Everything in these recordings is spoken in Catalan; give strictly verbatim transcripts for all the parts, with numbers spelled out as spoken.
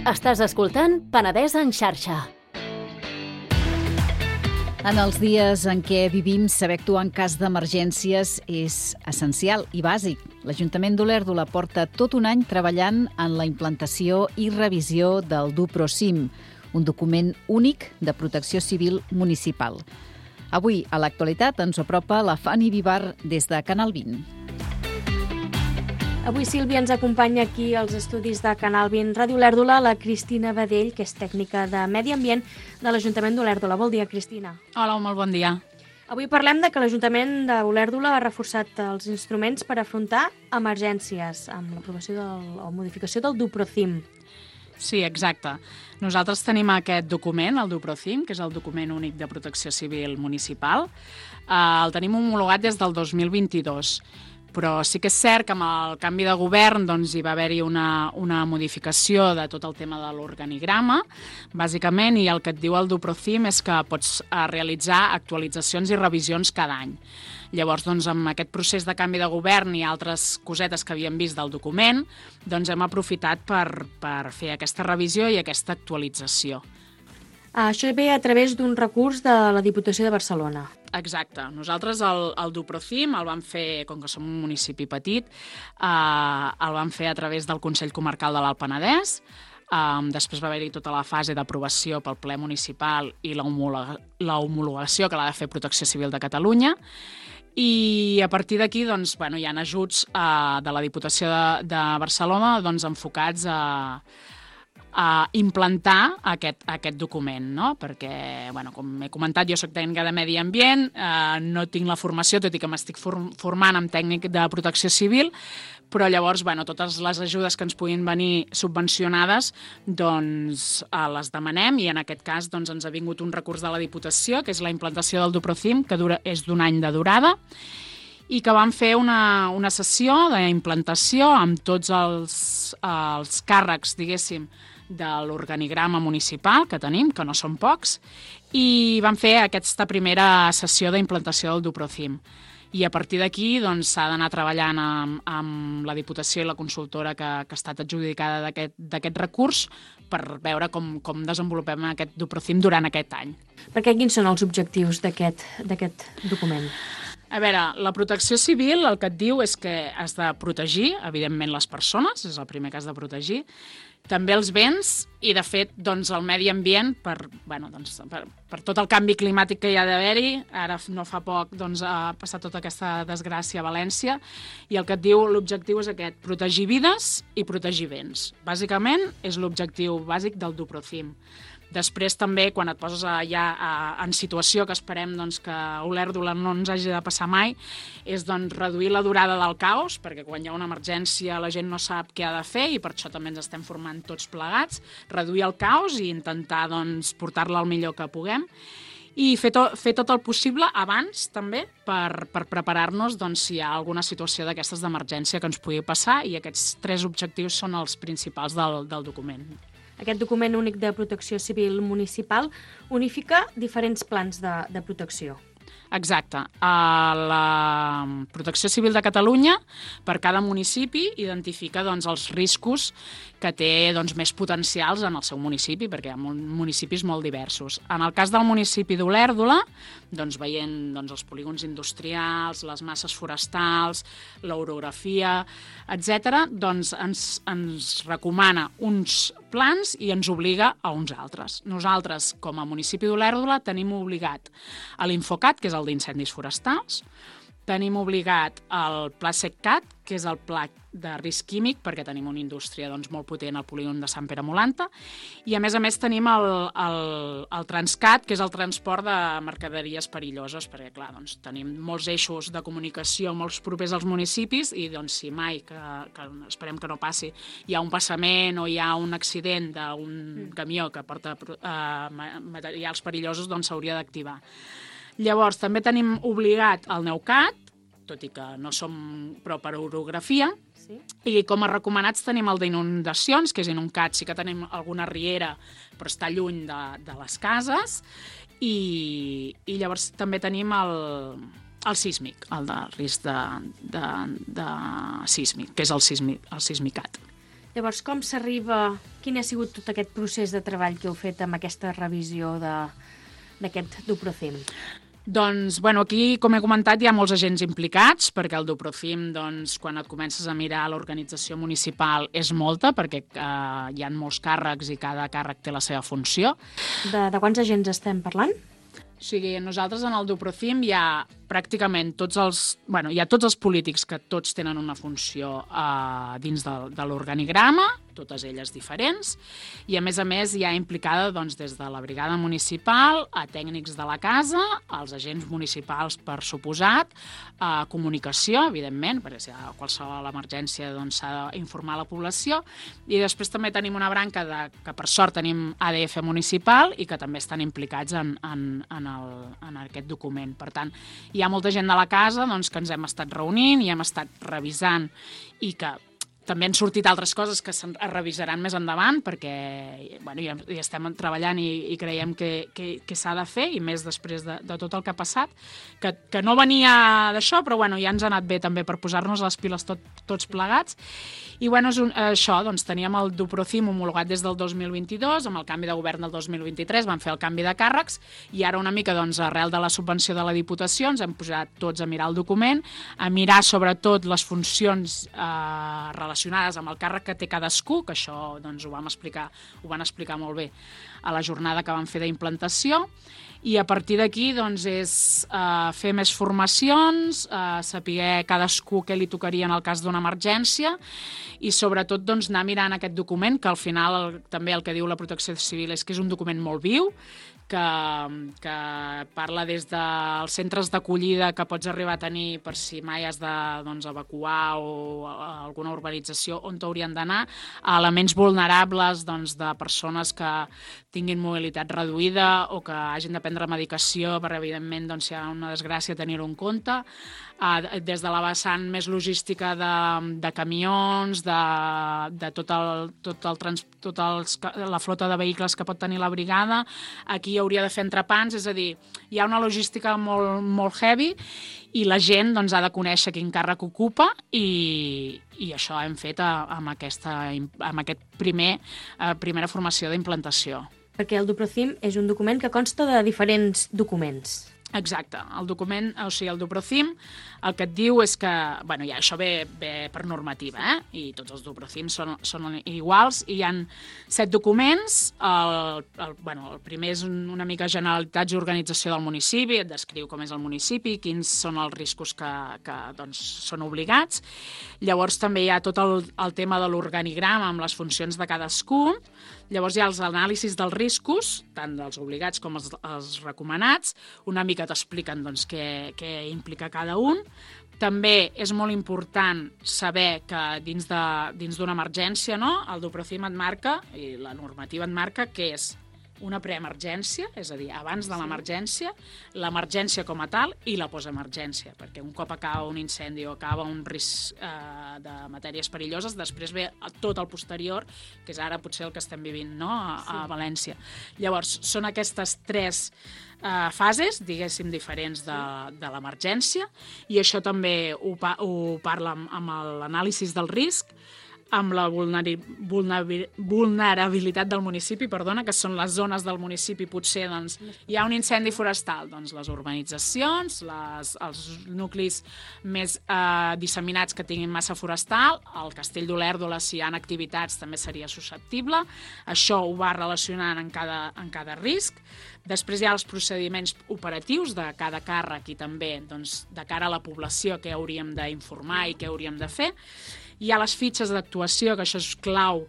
Estàs escoltant Penedès en xarxa. En els dies en què vivim, saber actuar en cas d'emergències és essencial i bàsic. L'Ajuntament d'Olèrdola porta tot un any treballant en la implantació i revisió del DuProCim, un document únic de protecció civil municipal. Avui, a l'actualitat, ens apropa la Fanny Vivar des de Canal vint. Avui, Sílvia, ens acompanya aquí als estudis de Canal vint Ràdio Olèrdola la Cristina Badell, que és tècnica de Medi Ambient de l'Ajuntament d'Olèrdola. Bon dia, Cristina. Hola, molt bon dia. Avui parlem de que l'Ajuntament d'Olèrdola ha reforçat els instruments per afrontar emergències amb l'aprovació del, o modificació del DuProCim. Sí, exacte. Nosaltres tenim aquest document, el DuProCim, que és el document únic de protecció civil municipal. Eh, el tenim homologat des del dos mil vint-i-dos. Però sí que és cert que amb el canvi de govern doncs, hi va haver-hi una, una modificació de tot el tema de l'organigrama, bàsicament, i el que et diu el DuProCim és que pots eh, realitzar actualitzacions i revisions cada any. Llavors, doncs, amb aquest procés de canvi de govern i altres cosetes que havíem vist del document, doncs hem aprofitat per, per fer aquesta revisió i aquesta actualització. Això ve a través d'un recurs de la Diputació de Barcelona. Exacte. Nosaltres el, el DuProCim el vam fer, com que som un municipi petit, eh, el vam fer a través del Consell Comarcal de l'Alt Penedès. Eh, després va haver-hi tota la fase d'aprovació pel ple municipal i la homologació que l'ha de fer Protecció Civil de Catalunya. I a partir d'aquí doncs, bueno, hi ha ajuts eh, de la Diputació de, de Barcelona doncs, enfocats a a implantar aquest, aquest document, no? Perquè, bueno, com he comentat, jo soc tècnica de Medi Ambient, eh, no tinc la formació, tot i que m'estic formant amb tècnic de protecció civil, però llavors, bueno, totes les ajudes que ens puguin venir subvencionades, doncs eh, les demanem, i en aquest cas doncs, ens ha vingut un recurs de la Diputació, que és la implantació del DuProCim, que dura, és d'un any de durada, i que vam fer una, una sessió d'implantació amb tots els, els càrrecs, diguéssim, de l'organigrama municipal que tenim, que no són pocs, i vam fer aquesta primera sessió d'implantació del DuProCim. I a partir d'aquí doncs, s'ha d'anar treballant amb, amb la Diputació i la consultora que, que ha estat adjudicada d'aquest recurs per veure com, com desenvolupem aquest DuProCim durant aquest any. Perquè quins són els objectius d'aquest document? A veure, la protecció civil el que et diu és que has de protegir, evidentment, les persones, és el primer que has de protegir, també els béns i, de fet, doncs, el medi ambient per, bueno, doncs, per, per tot el canvi climàtic que hi ha d'haver-hi. Ara no fa poc doncs, ha passat tota aquesta desgràcia a València i el que et diu l'objectiu és aquest, protegir vides i protegir béns. Bàsicament és l'objectiu bàsic del DuProCim. Després també, quan et poses ja en situació que esperem doncs, que Olèrdola no ens hagi de passar mai, és doncs, reduir la durada del caos, perquè quan hi ha una emergència la gent no sap què ha de fer i per això també ens estem formant tots plegats, reduir el caos i intentar doncs, portar-la al millor que puguem i fer, to, fer tot el possible abans també per, per preparar-nos doncs, si hi ha alguna situació d'aquestes d'emergència que ens pugui passar, i aquests tres objectius són els principals del, del document. Aquest document únic de protecció civil municipal unifica diferents plans de, de protecció. Exacte. La Protecció Civil de Catalunya, per cada municipi, identifica doncs, els riscos que té doncs, més potencials en el seu municipi, perquè hi ha municipis molt diversos. En el cas del municipi d'Olèrdola, doncs, veient doncs, els polígons industrials, les masses forestals, l'orografia, etcètera, doncs, ens, ens recomana uns plans i ens obliga a uns altres. Nosaltres, com a municipi d'Olèrdola, tenim obligat a l'Infocat, que és el d'incendis forestals, tenim obligat el Pla SECCAT, que és el pla de risc químic, perquè tenim una indústria doncs, molt potent al polígon de Sant Pere Molanta, i a més a més tenim el, el, el Transcat, que és el transport de mercaderies perilloses, perquè clar, doncs, tenim molts eixos de comunicació molts propers als municipis i doncs, si mai, que, que esperem que no passi, hi ha un passament o hi ha un accident d'un camió que porta eh, materials perillosos, doncs s'hauria d'activar. Llavors, també tenim obligat el Neucat, tot i que no som prou per orografia, sí. I com a recomanats tenim el d'inundacions, que és en un cat, sí que tenim alguna riera, però està lluny de, de les cases, i, i llavors també tenim el, el sísmic, el de risc de, de, de sísmic, que és el, sísmic, el sismicat. Llavors, com s'arriba... Quin ha sigut tot aquest procés de treball que heu fet amb aquesta revisió d'aquest Duprocim? Doncs, bueno, aquí, com he comentat, hi ha molts agents implicats, perquè el Duprocim, doncs, quan et comences a mirar l'organització municipal, és molta, perquè eh, hi ha molts càrrecs i cada càrrec té la seva funció. De, de quants agents estem parlant? O sigui, nosaltres en el Duprocim hi ha pràcticament tots els... Bueno, hi ha tots els polítics que tots tenen una funció eh, dins de, de l'organigrama, totes elles diferents, i a més a més hi ha implicada doncs, des de la brigada municipal a tècnics de la casa, als agents municipals per suposat, a comunicació, evidentment, perquè si hi ha qualsevol emergència doncs, s'ha d'informar la població, i després també tenim una branca de, que per sort tenim A D F municipal i que també estan implicats en, en, en, el, en aquest document. Per tant, hi ha molta gent de la casa doncs, que ens hem estat reunint i hem estat revisant i que també han sortit altres coses que es revisaran més endavant perquè bueno, ja, ja estem treballant i, i creiem que, que, que s'ha de fer, i més després de, de tot el que ha passat, que, que no venia d'això, però bueno, ja ens ha anat bé també per posar-nos les piles tot, tots plegats. I bueno, és un, això, doncs teníem el Duprocim homologat des del dos mil vint-i-dos, amb el canvi de govern del dos mil vint-i-tres vam fer el canvi de càrrecs, i ara una mica doncs, arrel de la subvenció de la Diputació ens hem posat tots a mirar el document, a mirar sobretot les funcions eh, relacionades relacionades amb el càrrec que té cadascú, que això doncs, ho vam explicar, ho van explicar molt bé a la jornada que vam fer d'implantació, i a partir d'aquí doncs, és eh, fer més formacions, eh, saber cadascú què li tocaria en el cas d'una emergència, i sobretot doncs, anar mirant aquest document, que al final el, també el que diu la Protecció Civil és que és un document molt viu, que, que parla des dels centres d'acollida que pots arribar a tenir per si mai has de doncs, evacuar o alguna urbanització on t'haurien d'anar, a elements vulnerables doncs, de persones que tinguin mobilitat reduïda o que hagin de prendre medicació per, evidentment, doncs, si hi ha una desgràcia, tenir-ho en compte, Uh, des de la vessant més logística de, de camions, de, de tot el, tot el trans, tot els, la flota de vehicles que pot tenir la brigada. Aquí hauria de fer entrepans, és a dir, hi ha una logística molt, molt heavy i la gent doncs, ha de conèixer quin càrrec ocupa, i, i això hem fet a, amb, aquesta, amb aquest primer uh, primera formació d'implantació. Perquè el Duprocim és un document que consta de diferents documents. Exacte. El document, o sigui, el Duprocim, el que et diu és que, bueno, ja això ve, ve per normativa, eh? I tots els Duprocims són, són iguals, i hi ha set documents. El, el, bueno, el primer és una mica generalitats i organització del municipi, et descriu com és el municipi, quins són els riscos que, que doncs, són obligats. Llavors també hi ha tot el, el tema de l'organigrama amb les funcions de cadascú. Llavors hi ha els anàlisis dels riscos, tant dels obligats com els, els recomanats, una mica t'expliquen doncs, què, què implica cada un. També és molt important saber que dins de, dins d'una emergència, no? El Duprocim et marca, i la normativa et marca, que és una preemergència, és a dir, abans de l'emergència, l'emergència com a tal i la postemergència, perquè un cop acaba un incendi o acaba un risc eh, de matèries perilloses, després ve tot el posterior, que és ara potser el que estem vivint, no? a, a València. Llavors, són aquestes tres eh, fases, diguéssim, diferents de, de l'emergència, i això també ho, ho parla amb, amb l'anàlisi del risc, amb la vulnerabilitat del municipi, perdona, que són les zones del municipi, potser doncs, hi ha un incendi forestal, doncs les urbanitzacions, les, els nuclis més eh, disseminats que tinguin massa forestal, el Castell d'Olèrdola, si hi ha activitats, també seria susceptible. Això ho va relacionant en cada, en cada risc. Després hi ha els procediments operatius de cada càrrec i també doncs, de cara a la població què hauríem d'informar i què hauríem de fer. Hi ha les fitxes d'actuació, que això és clau,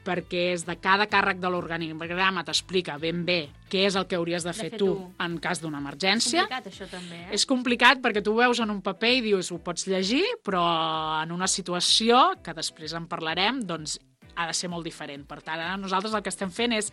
perquè és de cada càrrec de l'organigrama t'explica ben bé què és el que hauries de fer, de fer tu, tu en cas d'una emergència. És complicat, això, també, eh? És complicat perquè tu ho veus en un paper i dius, ho pots llegir, però en una situació, que després en parlarem, doncs ha de ser molt diferent. Per tant, ara nosaltres el que estem fent és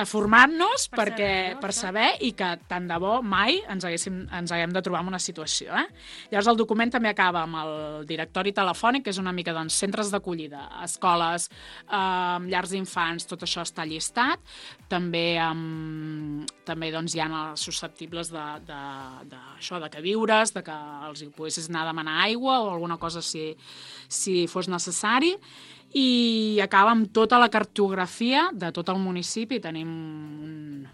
formar-nos per, perquè, saber, no? per saber i que tant de bo mai ens, haguéssim, ens haguem de trobar en una situació. Eh? Llavors el document també acaba amb el directori telefònic, que és una mica doncs, centres d'acollida, escoles, eh, llars d'infants, tot això està llistat. També, eh, també doncs, hi ha els susceptibles de, de, de, això, de que viures, de que els hi poguessis anar a demanar aigua o alguna cosa si, si fos necessari. i acaba amb tota la cartografia de tot el municipi. Tenim un,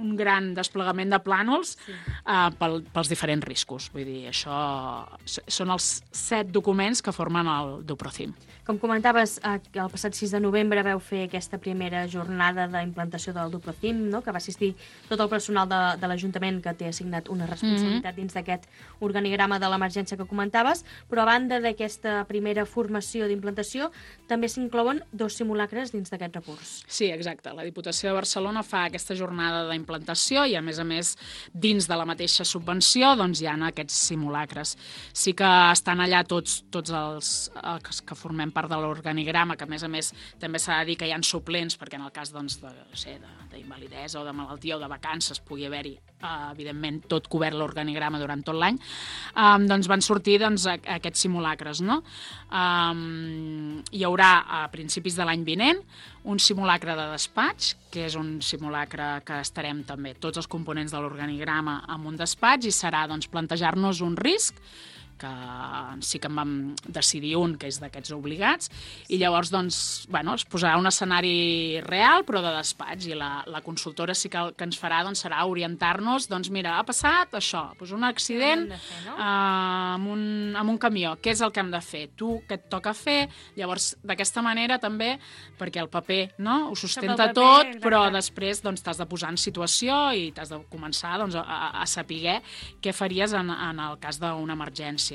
un gran desplegament de plànols sí. uh, pel, pels diferents riscos. Vull dir, això són els set documents que formen el DuProcim. Com comentaves, el passat sis de novembre veu fer aquesta primera jornada d'implantació del DuProcim, no? Que va assistir tot el personal de, de l'Ajuntament que té assignat una responsabilitat mm-hmm. dins d'aquest organigrama de l'emergència que comentaves, però a banda d'aquesta primera formació d'implantació també s'inclouen dos simulacres dins d'aquest recurs. Sí, exacte. La Diputació de Barcelona fa aquesta jornada d'implantació i, a més a més, dins de la mateixa subvenció doncs, hi ha aquests simulacres. Sí que estan allà tots, tots els, els que formem part de l'organigrama, que a més a més també s'ha de dir que hi ha suplents, perquè en el cas doncs, de, no sé, d'invalidesa o de malaltia o de vacances pugui haver-hi, eh, evidentment, tot cobert l'organigrama durant tot l'any, eh, doncs van sortir doncs, aquests simulacres. No? Eh, hi haurà a principis de l'any vinent un simulacre de despatx, que és un simulacre que estarem també tots els components de l'organigrama en un despatx i serà doncs, plantejar-nos un risc que sí que en vam decidir un, que és d'aquests obligats, i llavors doncs, bueno, es posarà un escenari real, però de despatx, i la, la consultora sí que el que ens farà doncs, serà orientar-nos, doncs mira, ha passat això, doncs un accident fer, no? eh, amb, un, amb un camió, què és el que hem de fer? Tu, què et toca fer? Llavors, d'aquesta manera també, perquè el paper no, ho sustenta paper, tot, exacte. però després doncs, t'has de posar en situació i t'has de començar doncs, a, a saber què faries en, en el cas d'una emergència.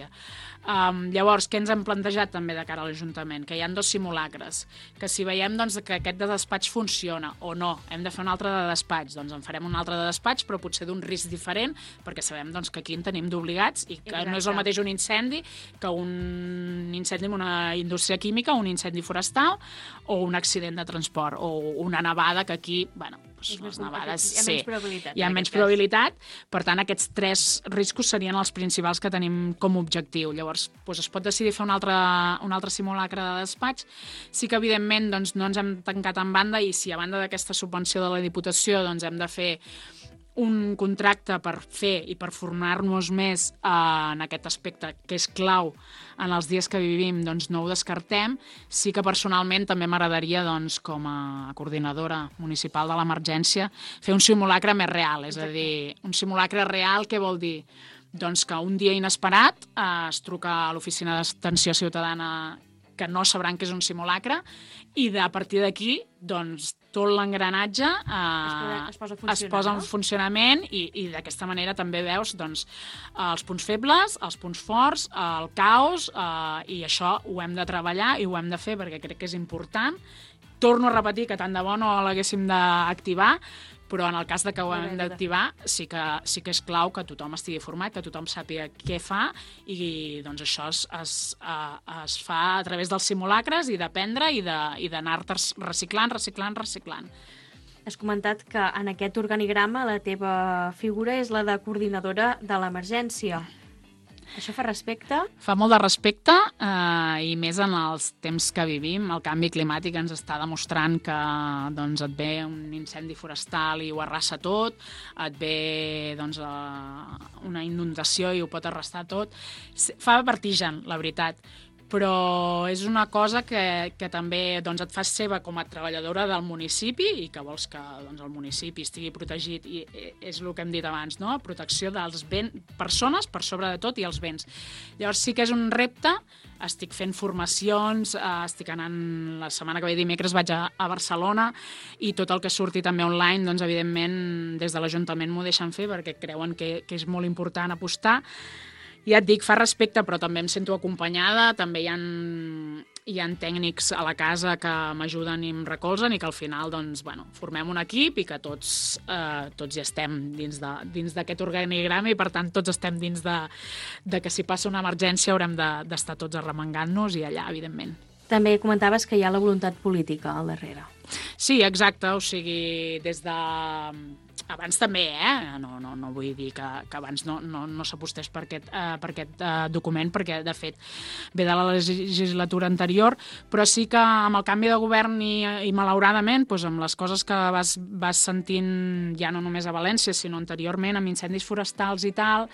Um, llavors, què ens hem plantejat també de cara a l'Ajuntament? Que hi ha dos simulacres, que si veiem doncs, que aquest de despatx funciona o no, hem de fer un altre de despatx, doncs en farem un altre de despatx, però potser d'un risc diferent, perquè sabem doncs, que aquí en tenim d'obligats i que Exacte. No és el mateix un incendi que un incendi en una indústria química, un incendi forestal o un accident de transport o una nevada, que aquí, bueno, doncs les nevades hi ha sí, menys probabilitat. Hi ha menys probabilitat, per tant aquests tres riscos serien els principals que tenim com a objectiu. Llavors doncs es pot decidir fer un altre, un altre simulacre de despatx. Sí que evidentment doncs, no ens hem tancat en banda i si a banda d'aquesta subvenció de la Diputació doncs, hem de fer un contracte per fer i per formar-nos més eh, en aquest aspecte que és clau en els dies que vivim, doncs no ho descartem. Sí que personalment també m'agradaria, doncs, com a coordinadora municipal de l'emergència, fer un simulacre més real, és a dir, un simulacre real, què vol dir? Doncs que un dia inesperat eh, es truca a l'oficina d'atenció ciutadana que no sabran que és un simulacre i de, a partir d'aquí doncs, tot l'engranatge eh, es, posa, es, posa es posa en no? funcionament i, i d'aquesta manera també veus doncs, els punts febles, els punts forts, el caos eh, i això ho hem de treballar i ho hem de fer perquè crec que és important. Torno a repetir que tant de bo no l'haguéssim d'activar, però en el cas de que ho hem d'activar sí que, sí que és clau que tothom estigui format, que tothom sàpiga què fa i doncs això es, es, es fa a través dels simulacres i d'aprendre i d'anar-te reciclant, reciclant, reciclant. Has comentat que en aquest organigrama la teva figura és la de coordinadora de l'emergència. Això fa respecte? Fa molt de respecte eh, i més en els temps que vivim. El canvi climàtic ens està demostrant que doncs, et ve un incendi forestal i ho arrasa tot, et ve doncs, eh, una inundació i ho pot arrasar tot. Fa vertigen, la veritat, però és una cosa que, que també doncs, et fas seva com a treballadora del municipi i que vols que doncs, el municipi estigui protegit i és el que hem dit abans, no? Protecció dels ben, persones per sobre de tot i els béns. Llavors sí que és un repte, estic fent formacions, eh, estic anant la setmana que ve dimecres vaig a, a Barcelona i tot el que surti també online, doncs evidentment des de l'Ajuntament m'ho deixen fer perquè creuen que, que és molt important apostar. Ja et dic, fa respecte, però també em sento acompanyada, també hi ha, hi ha tècnics a la casa que m'ajuden i em recolzen i que al final doncs, bueno, formem un equip i que tots, eh, tots ja estem dins d'aquest de, organigrama i per tant tots estem dins de, de que si passa una emergència haurem d'estar de, tots arremangant-nos i allà, evidentment. També comentaves que hi ha la voluntat política al darrere. Sí, exacte, o sigui, des de... abans també, eh? No, no, no vull dir que, que abans no, no, no s'apostés per aquest, uh, per aquest uh, document, perquè, de fet, ve de la legislatura anterior, però sí que amb el canvi de govern i, i malauradament, doncs, amb les coses que vas, vas sentint ja no només a València, sinó anteriorment, amb incendis forestals i tal,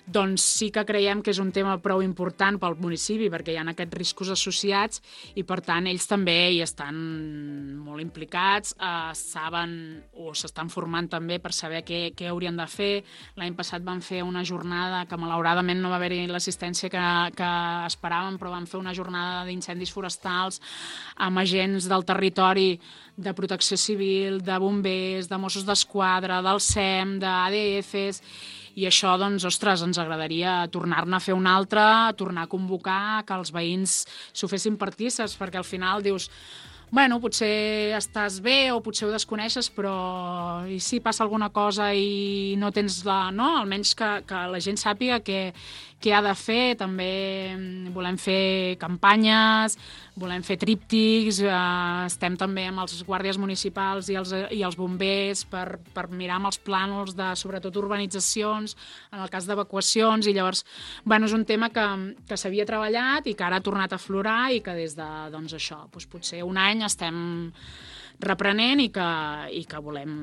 doncs sí que creiem que és un tema prou important pel municipi, perquè hi ha aquests riscos associats i, per tant, ells també hi estan molt implicats, eh, saben o s'estan formant també per saber què, què haurien de fer. L'any passat van fer una jornada que, malauradament, no va haver-hi l'assistència que, que esperàvem, però van fer una jornada d'incendis forestals amb agents del territori, de protecció civil, de bombers, de Mossos d'Esquadra, del S E M, d'A D Fs, i això, doncs, ostres, ens agradaria tornar-ne a fer un altre, tornar a convocar, que els veïns s'ho fessin partíceps, perquè al final dius, bueno, potser estàs bé o potser ho desconeixes, però i si passa alguna cosa i no tens la... no? Almenys que, que la gent sàpiga què, què ha de fer. També volem fer campanyes, volem fer tríptics, eh, estem també amb els guàrdies municipals i els, i els bombers per, per mirar amb els plànols de, sobretot, urbanitzacions, en el cas d'evacuacions, i llavors, bueno, és un tema que, que s'havia treballat i que ara ha tornat a aflorar i que des de, doncs això, doncs potser un any estem reprenent i que, i que volem,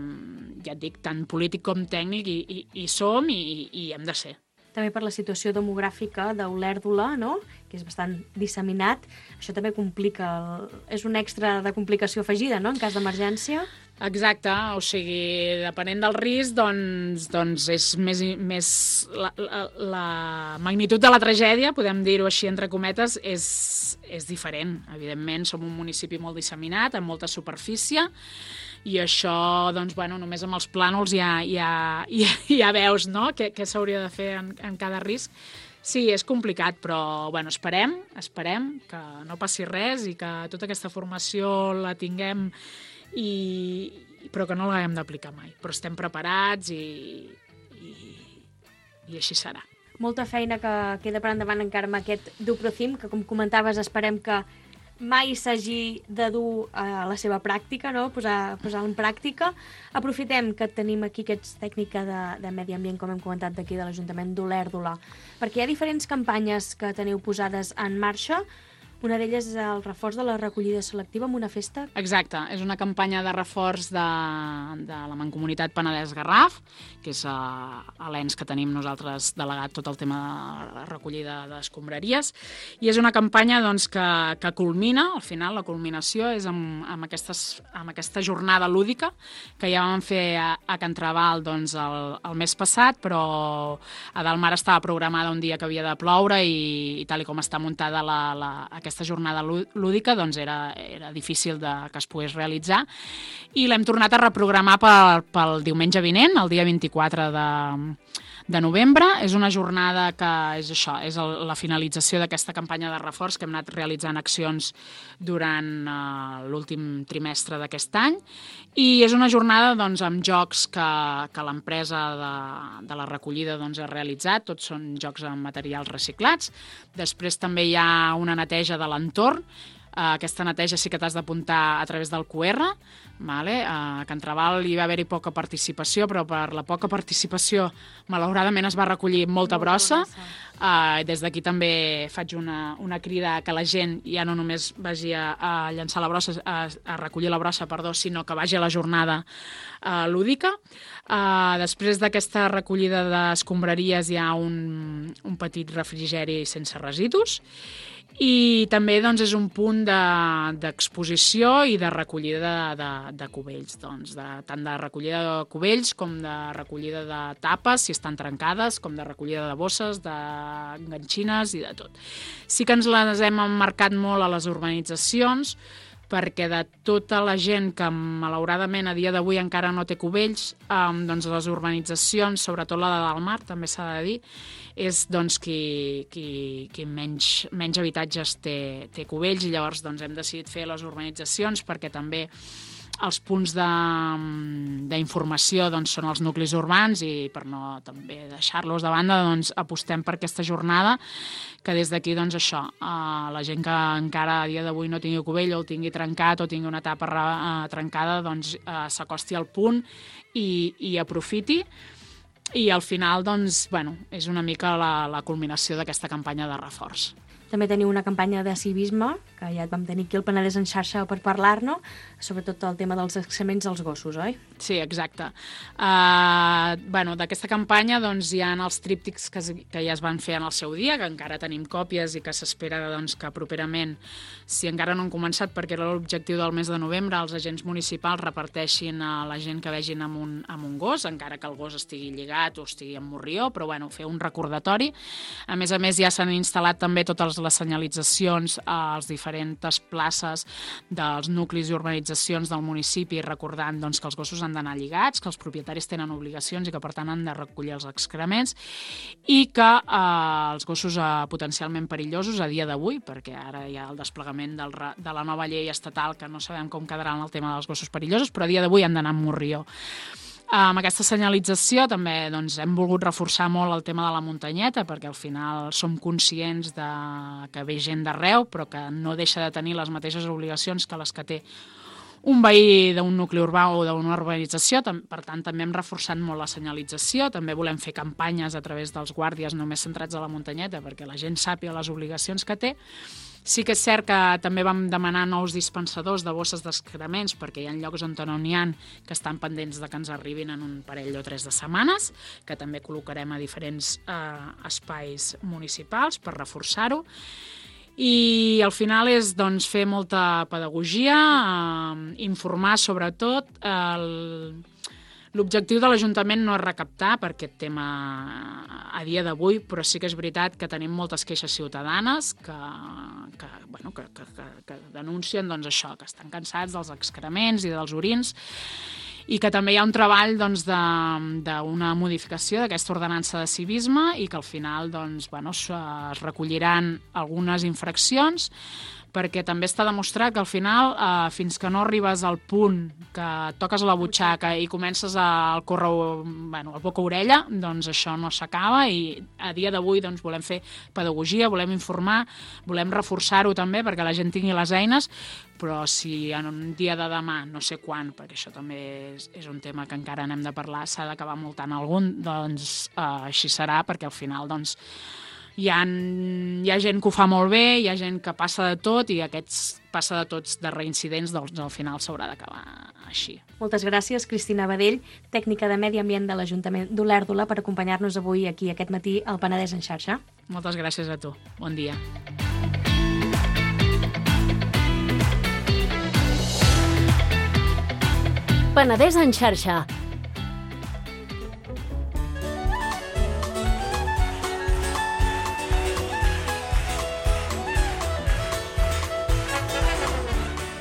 ja et dic, tant polític com tècnic, i, i, i som i, i hem de ser. També per la situació demogràfica d'Olèrdola, no?, que és bastant disseminat, això també complica, el... és un extra de complicació afegida, no?, en cas d'emergència. Exacte, o sigui, depenent del risc, doncs, doncs és més, més la, la, la magnitud de la tragèdia, podem dir-ho així entre cometes, és, és diferent. Evidentment, som un municipi molt disseminat, amb molta superfície, i això, doncs, bueno, només amb els plànols ja, ja, ja, ja veus, no?, què, què s'hauria de fer en, en cada risc. Sí, és complicat, però bueno, esperem, esperem que no passi res i que tota aquesta formació la tinguem, i, però que no l'haguem d'aplicar mai. Però estem preparats i, i, i així serà. Molta feina que queda per endavant encara amb aquest Duprocim, que, com comentaves, esperem que mai s'hagi de dur a la seva pràctica, no? posar, posar en pràctica. Aprofitem que tenim aquí aquests tècnica de, de medi ambient, com hem comentat d'aquí de l'Ajuntament d'Olèrdola, perquè hi ha diferents campanyes que teniu posades en marxa. Una d'elles és el reforç de la recollida selectiva amb una festa. Exacte, és una campanya de reforç de, de la Mancomunitat Penedès-Garraf, que és uh, a l'ens que tenim nosaltres delegat tot el tema de recollida d'escombraries, i és una campanya, doncs, que, que culmina, al final la culminació és amb, amb, aquestes, amb aquesta jornada lúdica que ja vam fer a, a Can Trabal, doncs, el, el mes passat, però a Dalmar estava programada un dia que havia de ploure i, i tal i com està muntada la, la, aquesta jornada lúdica, doncs era, era difícil de, que es pogués realitzar, i l'hem tornat a reprogramar pel, pel diumenge vinent, el dia vint-i-quatre de, de novembre. És una jornada que és això, és el, la finalització d'aquesta campanya de reforç, que hem anat realitzant accions durant uh, l'últim trimestre d'aquest any, i és una jornada, doncs, amb jocs que, que l'empresa de, de la recollida, doncs, ha realitzat. Tots són jocs amb materials reciclats. Després també hi ha una neteja de l'entorn. Uh, aquesta neteja sí que t'has d'apuntar a través del Q R. Vale? Uh, a Can Trabal hi va haver-hi poca participació, però per la poca participació, malauradament, es va recollir molta, molta brossa. brossa. Uh, des d'aquí també faig una, una crida que la gent ja no només vagi a, a llançar la brossa, a, a recollir la brossa, perdó, sinó que vagi a la jornada uh, lúdica. Uh, després d'aquesta recollida d'escombraries hi ha un, un petit refrigeri sense residus, i també, doncs, és un punt d'exposició de, i de recollida de, de, de cubells, doncs, de, tant de recollida de cubells com de recollida de tapes, si estan trencades, com de recollida de bosses, d'enganxines i de tot. Sí que ens les hem emmarcat molt a les urbanitzacions, perquè de tota la gent que, malauradament, a dia d'avui encara no té cubells, eh, doncs les urbanitzacions, sobretot la de Dalmar, també s'ha de dir, és, doncs, qui, qui, qui menys, menys habitatges té, té cubells, i llavors, doncs, hem decidit fer les urbanitzacions perquè també els punts d'informació doncs, són els nuclis urbans i per no també deixar-los de banda doncs, apostem per aquesta jornada que des d'aquí doncs, això, eh, la gent que encara a dia d'avui no tingui cubell o el tingui trencat o tingui una tapa eh, trencada doncs, eh, s'acosti al punt i, i aprofiti. I al final doncs, bueno, és una mica la, la culminació d'aquesta campanya de reforç. També teniu una campanya de civisme, que ja et vam tenir aquí al Penedès en xarxa per parlar-ne, sobretot el tema dels excrements dels gossos, oi? Sí, exacte. Uh, bueno, d'aquesta campanya doncs, hi ha els tríptics que, que ja es van fer en el seu dia, que encara tenim còpies i que s'espera doncs, que properament, si encara no han començat, perquè era l'objectiu del mes de novembre, els agents municipals reparteixin a la gent que vegin amb un, amb un gos, encara que el gos estigui lligat o estigui en morrió, però bueno, fer un recordatori. A més a més, ja s'han instal·lat també totes les senyalitzacions a les diferents places dels nuclis i urbanitzacions del municipi, recordant doncs, que els gossos han d'anar lligats, que els propietaris tenen obligacions i que per tant han de recollir els excrements i que eh, els gossos eh, potencialment perillosos a dia d'avui, perquè ara hi ha el desplegament del, de la nova llei estatal que no sabem com quedarà en el tema dels gossos perillosos, però a dia d'avui han d'anar amb morrió. Amb aquesta senyalització també doncs, hem volgut reforçar molt el tema de la muntanyeta perquè al final som conscients de que ve gent d'arreu però que no deixa de tenir les mateixes obligacions que les que té un veí d'un nucli urbà o d'una urbanització. Per tant, també hem reforçat molt la senyalització. També volem fer campanyes a través dels guàrdies només centrats a la muntanyeta perquè la gent sàpiga les obligacions que té. Sí que és cert que també vam demanar nous dispensadors de bosses d'excrements perquè hi ha llocs on no n'hi ha que estan pendents de que ens arribin en un parell o tres de setmanes, que també col·locarem a diferents eh, espais municipals per reforçar-ho. I al final és doncs, fer molta pedagogia, eh, informar sobretot. El... L'objectiu de l'Ajuntament no és recaptar per aquest tema a dia d'avui, però sí que és veritat que tenim moltes queixes ciutadanes que, que, bueno, que, que, que, que denuncien doncs, això, que estan cansats dels excrements i dels orins i que també hi ha un treball doncs, d'una modificació d'aquesta ordenança de civisme i que al final doncs, bueno, es recolliran algunes infraccions perquè també està demostrat que al final, eh, fins que no arribes al punt que toques la butxaca i comences a córrer bueno, el boca-orella, doncs això no s'acaba i a dia d'avui doncs, volem fer pedagogia, volem informar, volem reforçar-ho també perquè la gent tingui les eines, però si en un dia de demà, no sé quan, perquè això també és, és un tema que encara n'hem de parlar, s'ha d'acabar multant algun, doncs eh, així serà, perquè al final doncs, Hi ha, hi ha gent que ho fa molt bé, hi ha gent que passa de tot i aquests passa de tots de reincidents, doncs al final s'haurà d'acabar així. Moltes gràcies, Cristina Badell, tècnica de Medi Ambient de l'Ajuntament d'Olèrdola, per acompanyar-nos avui aquí aquest matí al Penedès en xarxa. Moltes gràcies a tu. Bon dia. Penedès en xarxa.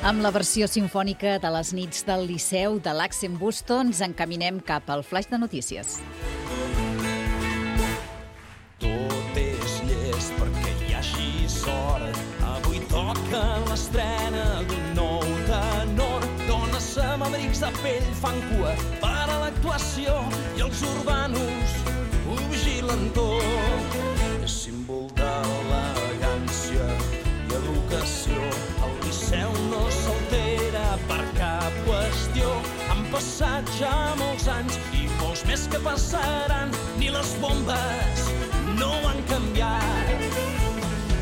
Amb la versió simfònica de les nits del Liceu de l'Accent Busto ens encaminem cap al flaix de notícies. Tot és llest perquè hi hagi sort. Avui toca l'estrena d'un nou tenor. Dones amb abrics de pell fan cua per a l'actuació i els urbanos ho vigilen tot. És símbol d'elegància i educació. El Liceu no s'altera per cap qüestió. Han passat ja molts anys i molts més que passaran. Ni les bombes no han canviat.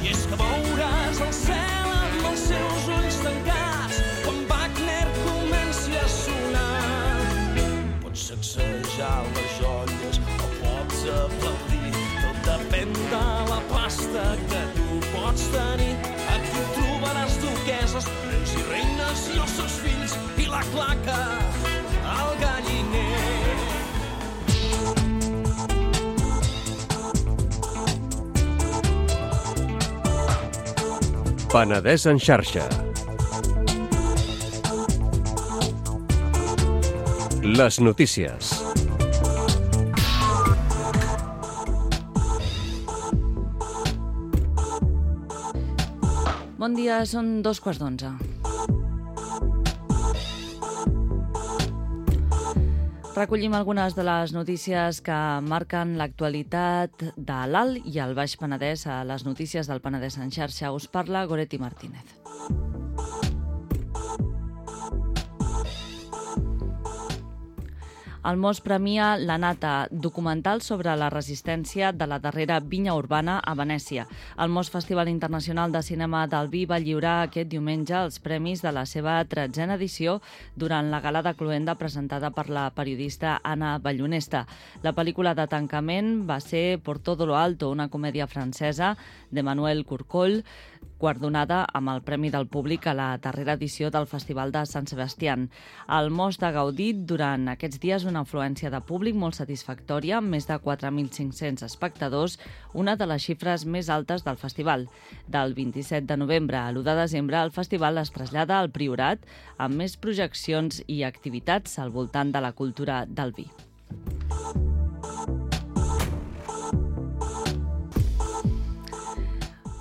I és que veuràs el cel amb els seus ulls tancats quan Wagner comenci a sonar. Pots sacsejar les joies o pots aplaudir. Tot depèn de la pasta que tu pots tenir. Aquí trobaràs duqueses, reis i reines i els seus fills i la claca al galliner. Penedès en xarxa. Les notícies. Bon dia, són dos quarts d'onze. Recollim algunes de les notícies que marquen l'actualitat de l'Alt i el Baix Penedès a les notícies del Penedès en xarxa. Us parla Goretti Martínez. El Mos premia La Nata, documental sobre la resistència de la darrera vinya urbana a Venècia. El Mos Festival Internacional de Cinema del Vi va lliurar aquest diumenge els premis de la seva tretzena edició durant la gala de cloenda presentada per la periodista Anna Ballonesta. La pel·lícula de tancament va ser Por todo lo alto, una comèdia francesa d'Emmanuel Courcoulle, guardonada amb el Premi del Públic a la darrera edició del Festival de Sant Sebastián. El Mos ha gaudit durant aquests dies una afluència de públic molt satisfactòria, amb més de quatre mil cinc-cents espectadors, una de les xifres més altes del festival. Del vint-i-set de novembre a l'u de desembre, el festival es trasllada al Priorat amb més projeccions i activitats al voltant de la cultura del vi.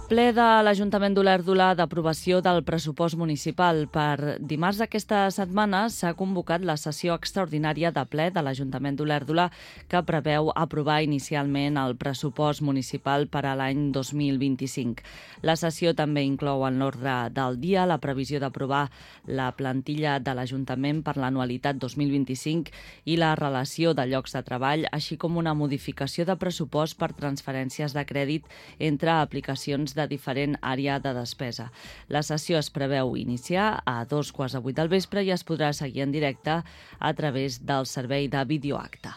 Ple de l'Ajuntament d'Olèrdola d'aprovació del pressupost municipal. Per dimarts d'aquesta setmana s'ha convocat la sessió extraordinària de ple de l'Ajuntament d'Olèrdola que preveu aprovar inicialment el pressupost municipal per a l'any dos mil vint-i-cinc. La sessió també inclou en l'ordre del dia la previsió d'aprovar la plantilla de l'Ajuntament per l'anualitat dos mil vint-i-cinc i la relació de llocs de treball, així com una modificació de pressupost per transferències de crèdit entre aplicacions de diferent àrea de despesa. La sessió es preveu iniciar a dos quarts de vuit del vespre i es podrà seguir en directe a través del servei de videoacte.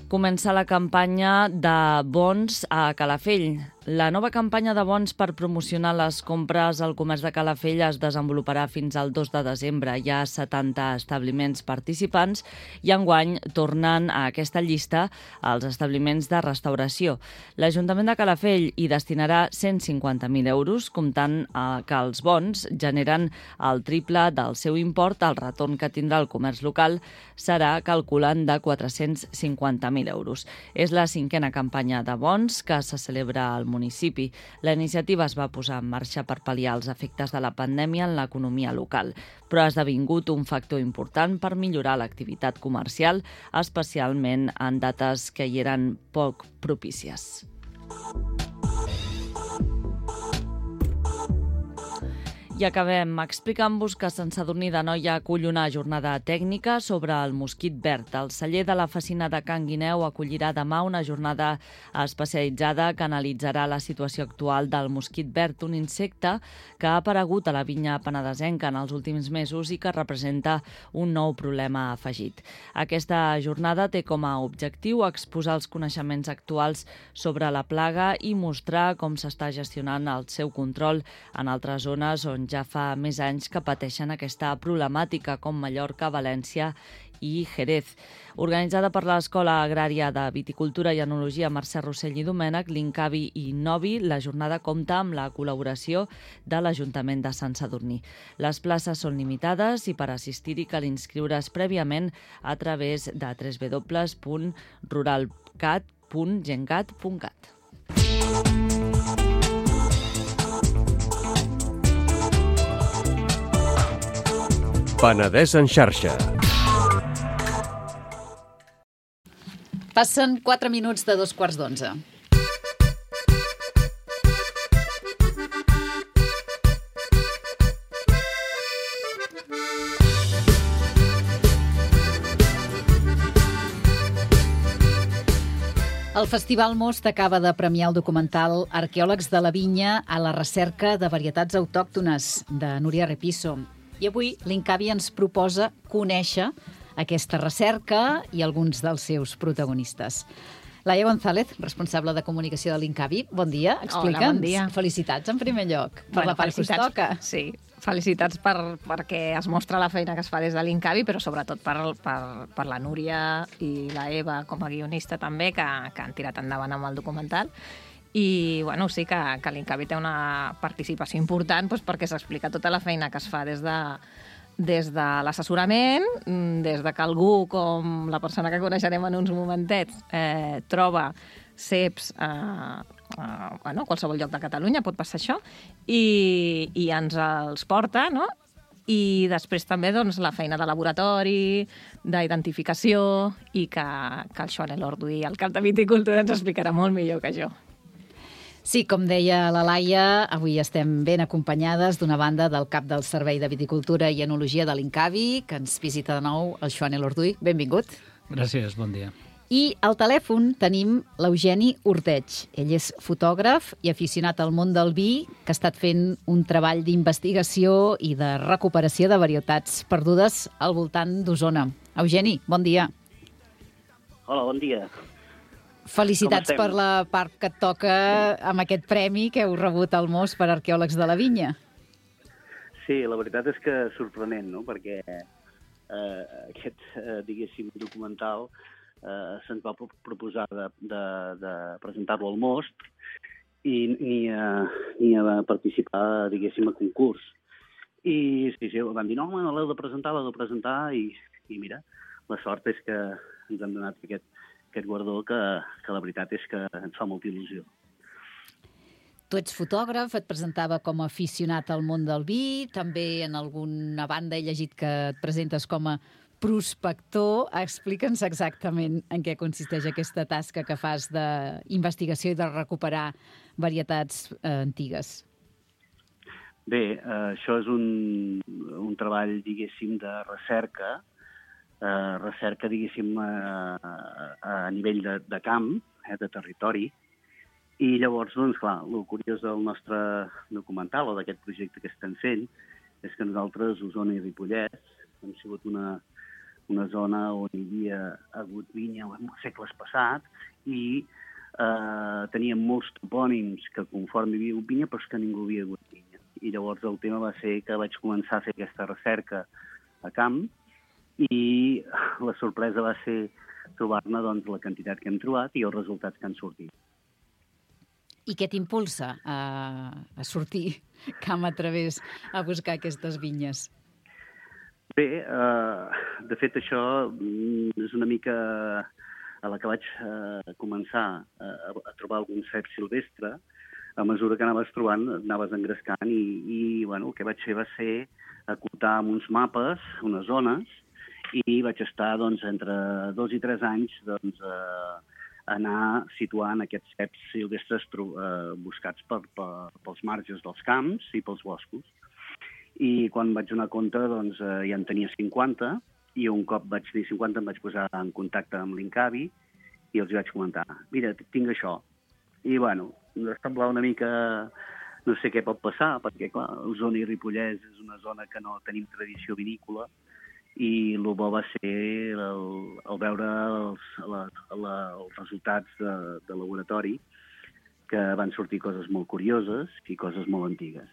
Comença la campanya de bons a Calafell. La nova campanya de bons per promocionar les compres al comerç de Calafell es desenvoluparà fins al dos de desembre. Hi ha setanta establiments participants i enguany tornen a aquesta llista els establiments de restauració. L'Ajuntament de Calafell hi destinarà cent cinquanta mil euros, comptant que els bons generen el triple del seu import. El retorn que tindrà el comerç local serà, calculant, de quatre-cents cinquanta mil euros. És la cinquena campanya de bons que se celebra al municipi. La iniciativa es va posar en marxa per pal·liar els efectes de la pandèmia en l'economia local, però ha esdevingut un factor important per millorar l'activitat comercial, especialment en dates que hi eren poc propícies. I acabem explicant-vos que Sant Sadurní d'Anoia acull una jornada tècnica sobre el mosquit verd. El celler de la Fecina de Can Guineu acollirà demà una jornada especialitzada que analitzarà la situació actual del mosquit verd, un insecte que ha aparegut a la vinya penedesenca en els últims mesos i que representa un nou problema afegit. Aquesta jornada té com a objectiu exposar els coneixements actuals sobre la plaga i mostrar com s'està gestionant el seu control en altres zones on ja fa més anys que pateixen aquesta problemàtica, com Mallorca, València i Jerez. Organitzada per l'Escola Agrària de Viticultura i Enologia Mercè Rossell i Domènech, l'Incavi i Novi, la jornada compta amb la col·laboració de l'Ajuntament de Sant Sadurní. Les places són limitades i per assistir-hi cal inscriure's prèviament a través de w w w punt ruralcat punt gencat punt cat. Penedès en xarxa. Passen quatre minuts de dos quarts d'onze. El Festival Most acaba de premiar el documental Arqueòlegs de la Vinya a la recerca de varietats autòctones, de Núria Repiso. I avui l'Incavi ens proposa conèixer aquesta recerca i alguns dels seus protagonistes. Laia González, responsable de comunicació de l'Incavi, bon dia, explica'ns. Hola, bon dia. Felicitats en primer lloc per Bueno, la part que us toca. Sí, felicitats per, perquè es mostra la feina que es fa des de l'Incavi, però sobretot per, per, per la Núria i la Eva com a guionista també, que, que han tirat endavant amb el documental. I bueno, sí que, que l'Incavi té una participació important doncs, perquè s'explica tota la feina que es fa des de, des de l'assessorament, des de que algú, com la persona que coneixerem en uns momentets, eh, troba ceps a eh, eh, bueno, qualsevol lloc de Catalunya, pot passar això, i, i ens els porta, no? i després també doncs, la feina de laboratori, d'identificació, i que, que el Joan Elorduy, el cap de viticultura, ens explicarà molt millor que jo. Sí, com deia la Laia, avui estem ben acompanyades d'una banda del cap del Servei de Viticultura i Enologia de l'Incavi, que ens visita de nou el Joan Elorduy. Benvingut. Gràcies, bon dia. I al telèfon tenim l'Eugeni Ordeig. Ell és fotògraf i aficionat al món del vi, que ha estat fent un treball d'investigació i de recuperació de varietats perdudes al voltant d'Osona. Eugeni, bon dia. Hola, bon dia. Felicitats per la part que et toca amb aquest premi que heu rebut al Mos per arqueòlegs de la vinya. Sí, la veritat és que sorprenent, no?, perquè eh, aquest, eh, diguéssim, documental eh, se'ns va proposar de, de, de presentar-lo al Most i ni a, ni a participar, diguéssim, a concurs. I sí, sí, van dir, no, home, l'heu de presentar, l'heu de presentar, i, i mira, la sort és que ens han donat aquest, aquest guardó que, que la veritat és que ens fa molta il·lusió. Tu ets fotògraf, et presentava com a aficionat al món del vi, també en alguna banda he llegit que et presentes com a prospector. Explica'ns exactament en què consisteix aquesta tasca que fas d'investigació i de recuperar varietats eh, antigues. Bé, eh, això és un, un treball, diguéssim, de recerca, eh, recerca, diguéssim, eh, a nivell de, de camp, eh, de territori, i llavors, doncs, clar, el curiós del nostre documental o d'aquest projecte que estem fent és que nosaltres, Osona i Ripollès, hem sigut una, una zona on hi havia hagut vinya en segles passats i eh, teníem molts topònims que conforme hi havia hagut vinya, però és que ningú havia hagut vinya. I llavors el tema va ser que vaig començar a fer aquesta recerca a camp i la sorpresa va ser trobar-ne doncs, la quantitat que hem trobat i els resultats que han sortit. I què t'impulsa a, a sortir camp a través a buscar aquestes vinyes? Bé, eh, de fet això és una mica a la que vaig eh, començar a, a trobar algun cep silvestre. A mesura que anaves trobant, anaves engrescant i, i bueno, el que vaig fer va ser acotar amb uns mapes, unes zones, i vaig estar doncs, entre dos i tres anys doncs, eh, anar situant aquests ceps silvestres eh, buscats per, per, pels marges dels camps i pels boscos. I quan vaig donar compte, doncs, eh, ja en tenia cinquanta, i un cop vaig dir cinquanta em vaig posar en contacte amb l'Incavi i els vaig comentar, mira, tinc això. I, bueno, em semblava una mica... No sé què pot passar, perquè, clar, Osona i Ripollès és una zona que no tenim tradició vinícola, i el bo va ser el, el veure els, la, la, els resultats de, de laboratori, que van sortir coses molt curioses i coses molt antigues.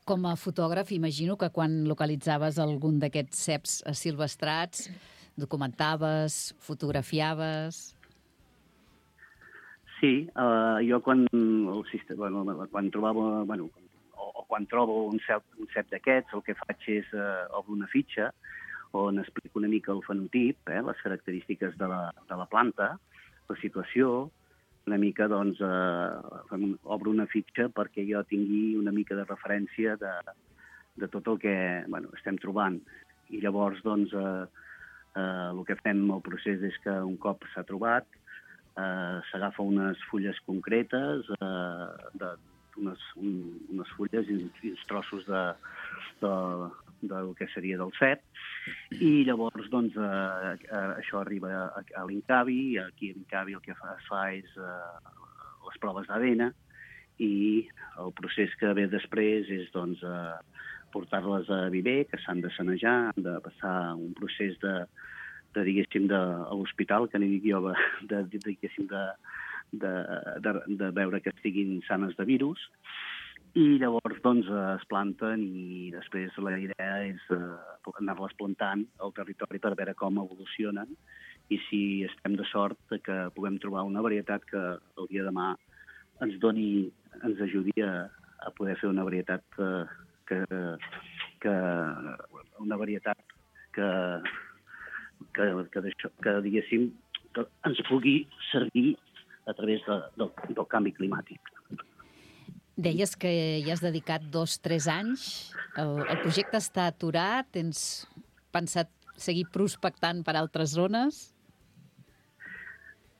Com a fotògraf, imagino que quan localitzaves algun d'aquests ceps silvestrats, documentaves, fotografiaves... Sí, uh, jo quan, el sistema, bueno, quan trobava, bueno, o, o quan trobo un cep, un cep d'aquests, el que faig és uh, obro una fitxa on explico una mica el fenotip, eh, les característiques de la, de la planta, la situació, una mica, doncs, uh, obro una fitxa perquè jo tingui una mica de referència de, de tot el que bueno, estem trobant. I llavors, doncs, uh, uh, el que fem al procés és que un cop s'ha trobat, Uh, s'agafa unes fulles concretes, uh, de, unes, un, unes fulles i uns trossos de, de, del que seria del cep, i llavors doncs, uh, uh, això arriba a, a l'Incavi, i aquí a l'Incavi el que fa, es fa és uh, les proves d'A D N, i el procés que ve després és doncs, uh, portar-les a viver, que s'han de sanejar, han de passar un procés de de, diguéssim, de, a l'hospital, que n'hi dic jo, de, de, diguéssim, de, de, de, de veure que estiguin sanes de virus, i llavors, doncs, es planten i després la idea és uh, anar-les plantant al territori per veure com evolucionen i si estem de sort que puguem trobar una varietat que el dia de demà ens doni, ens ajudi a, a poder fer una varietat uh, que, que una varietat que que, que, deixo, que diguéssim, que ens pugui servir a través de, del, del canvi climàtic. Deies que hi has dedicat dos, tres anys. El, el projecte està aturat? Tens pensat seguir prospectant per altres zones?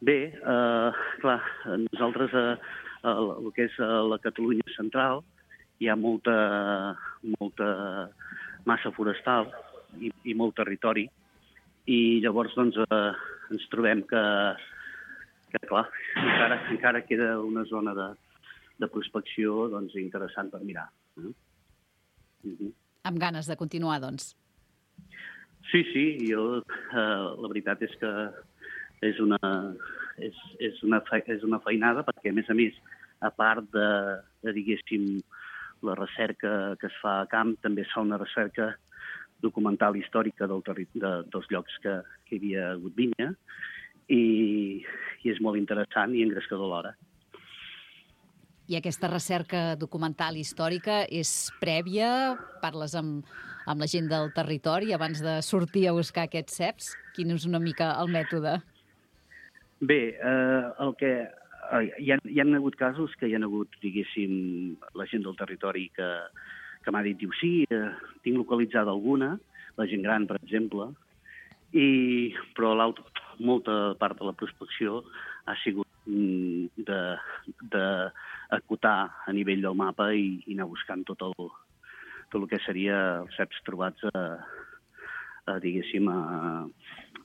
Bé, eh, clar, nosaltres a, a, el que és a la Catalunya central hi ha molta, molta massa forestal i, i molt territori, i llavors doncs, eh, ens trobem que, que clar, encara, encara queda una zona de, de prospecció doncs, interessant per mirar. Eh? Uh-huh. Amb ganes de continuar, doncs. Sí, sí, jo, eh, la veritat és que és una, és, és, una, és una feinada, perquè, a més a més, a part de, de, diguéssim, la recerca que es fa a camp, també es fa una recerca documental històrica del terri de, dels llocs que, que hi havia hagut vinya, i, i és molt interessant i engrescador alhora. I aquesta recerca documental històrica és prèvia? Parles amb, amb la gent del territori abans de sortir a buscar aquests ceps? Quin és una mica el mètode? Bé, eh, el que... Eh, hi, ha, hi ha hagut casos que hi ha hagut, diguéssim, la gent del territori que, que m'ha dit, diu, sí, eh, tinc localitzada alguna, la gent gran, per exemple, i, però molta part de la prospecció ha sigut mm, de, de acotar a nivell del mapa i, i anar buscant tot el, tot el que seria els ceps trobats a, a diguéssim, a,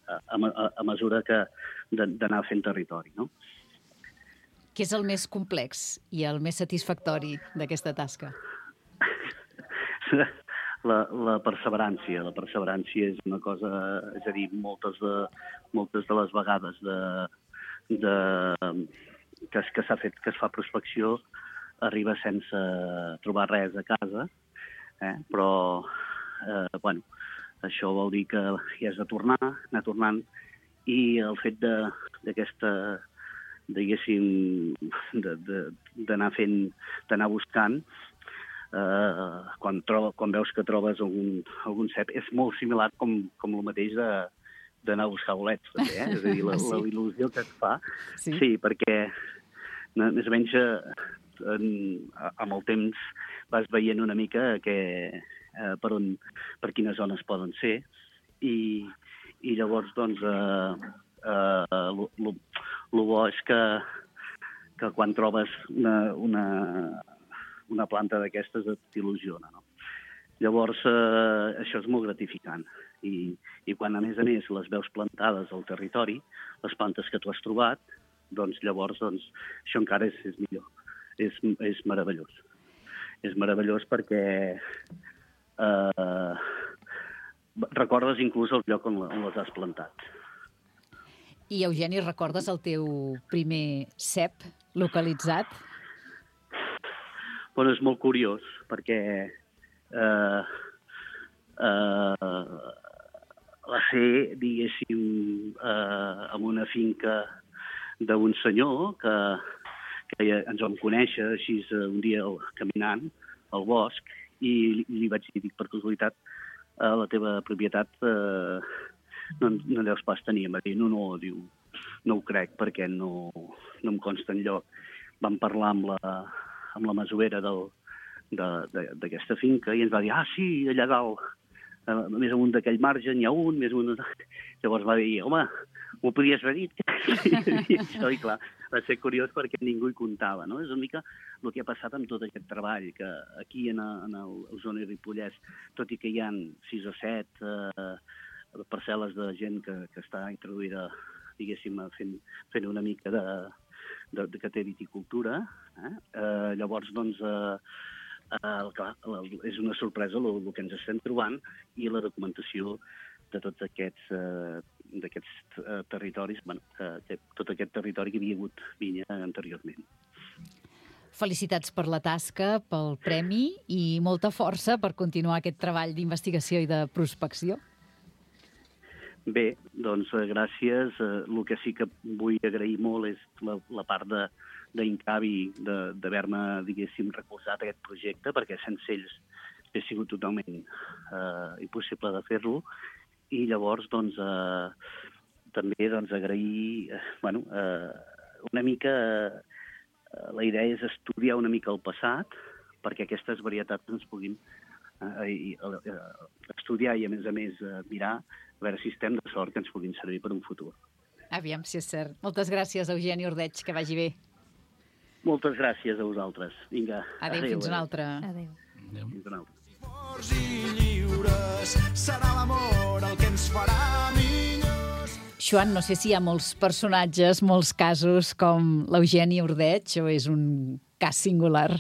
a, a, a mesura que d'anar fent territori, no? Què és el més complex i el més satisfactori d'aquesta tasca? La, la perseverància. La perseverància és una cosa, és a dir, moltes de, moltes de les vegades de, de, que, es, que s'ha fet, que es fa prospecció, arriba sense trobar res a casa, eh? Però, eh, bueno, això vol dir que hi has de tornar, anar tornant, i el fet d'aquesta, diguéssim, d'anar fent, d'anar buscant, eh, quan, troba, quan veus que trobes algun, algun cep, és molt similar com, com el mateix de d'anar a buscar bolets, també, eh? És a dir, la, sí. la il·lusió que et fa. Sí, sí, perquè més o menys en, amb el temps vas veient una mica que, eh, per, on, per quines zones poden ser, i, i llavors, doncs, eh, eh, el bo és que, que quan trobes una, una, una planta d'aquestes t'il·lusiona, no? Llavors, eh, això és molt gratificant. I, I quan, a més a més, les veus plantades al territori, les plantes que tu has trobat, doncs llavors doncs, això encara és, és millor. És, és meravellós. És meravellós perquè eh, recordes inclús el lloc on, on les has plantat. I, Eugeni, recordes el teu primer cep localitzat? Bueno, és molt curiós, perquè eh, eh, va ser, diguéssim, eh, en una finca d'un senyor que, que ens vam conèixer així un dia caminant al bosc, i li vaig dir, per casualitat, a la teva propietat eh, no, no deus pas tenir. Em va dir, no, no, diu, no ho crec perquè no, no em consta enlloc. Vam parlar amb la, amb la masovera d'aquesta finca i ens va dir, ah, sí, allà dalt, eh, més amunt d'aquell marge n'hi ha un, més amunt... Llavors va dir, home, m'ho podies haver dit. I això, i clar, va ser curiós perquè ningú hi comptava, no? És una mica el que ha passat amb tot aquest treball, que aquí en, en el Osona i Ripollès, tot i que hi ha sis o set eh, parcel·les de gent que, que està introduïda, diguéssim, fent, fent una mica de, de, de que té viticultura, eh? Eh, llavors, doncs, eh, eh, clar, és una sorpresa el, el que ens estem trobant i la documentació de tots aquests, eh, d'aquests eh, territoris, bueno, eh, tot aquest territori que havia hagut vinya anteriorment. Felicitats per la tasca, pel premi i molta força per continuar aquest treball d'investigació i de prospecció. Bé, doncs gràcies. El que sí que vull agrair molt és la, la part d'Incavi d'haver-me, diguéssim, recolzat aquest projecte, perquè sense ells ha sigut totalment eh, impossible de fer-lo. I llavors, doncs, eh, també doncs, agrair eh, bueno, eh, una mica la idea és estudiar una mica el passat perquè aquestes varietats ens puguin eh, eh, estudiar i, a més a més, eh, mirar a veure si estem de sort que ens puguin servir per un futur. Aviam si és cert. Moltes gràcies, Eugeni Ordeig, que vagi bé. Moltes gràcies a vosaltres. Vinga. Adéu, adéu fins una altra. Adéu. Adéu. Fins una altra. Forts i lliures, serà l'amor el que ens farà millors. Joan, no sé si hi ha molts personatges, molts casos com l'Eugeni Ordeig o és un cas singular?